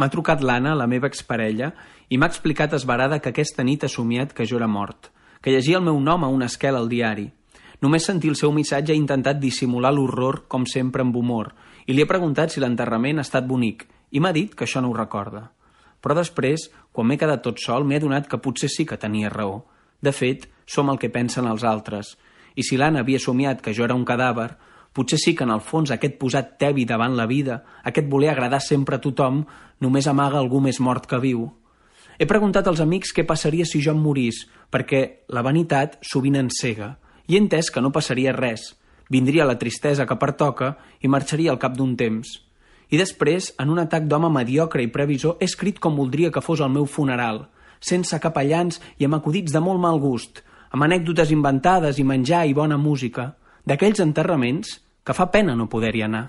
M'ha trucat l'Anna, la meva exparella, i m'ha explicat esverada que aquesta nit ha somiat que jo era mort, que llegia el meu nom a una esquela al diari. Només sentir el seu missatge ha intentat dissimular l'horror, com sempre amb humor, i li he preguntat si l'enterrament ha estat bonic, i m'ha dit que això no ho recorda. Però després, quan m'he quedat tot sol, m'he adonat que potser sí que tenia raó. De fet, som el que pensen els altres, i si l'Anna havia somiat que jo era un cadàver, potser sí que en el fons aquest posat tebi davant la vida, aquest voler agradar sempre a tothom, només amaga algú més mort que viu. He preguntat als amics què passaria si jo em morís, perquè la vanitat sovint encega, i he entès que no passaria res. Vindria la tristesa que pertoca i marxaria al cap d'un temps. I després, en un atac d'home mediocre i previsor, he escrit com voldria que fos el meu funeral, sense capellans i amb acudits de molt mal gust, amb anècdotes inventades i menjar i bona música, d'aquells enterraments que fa pena no poder-hi anar.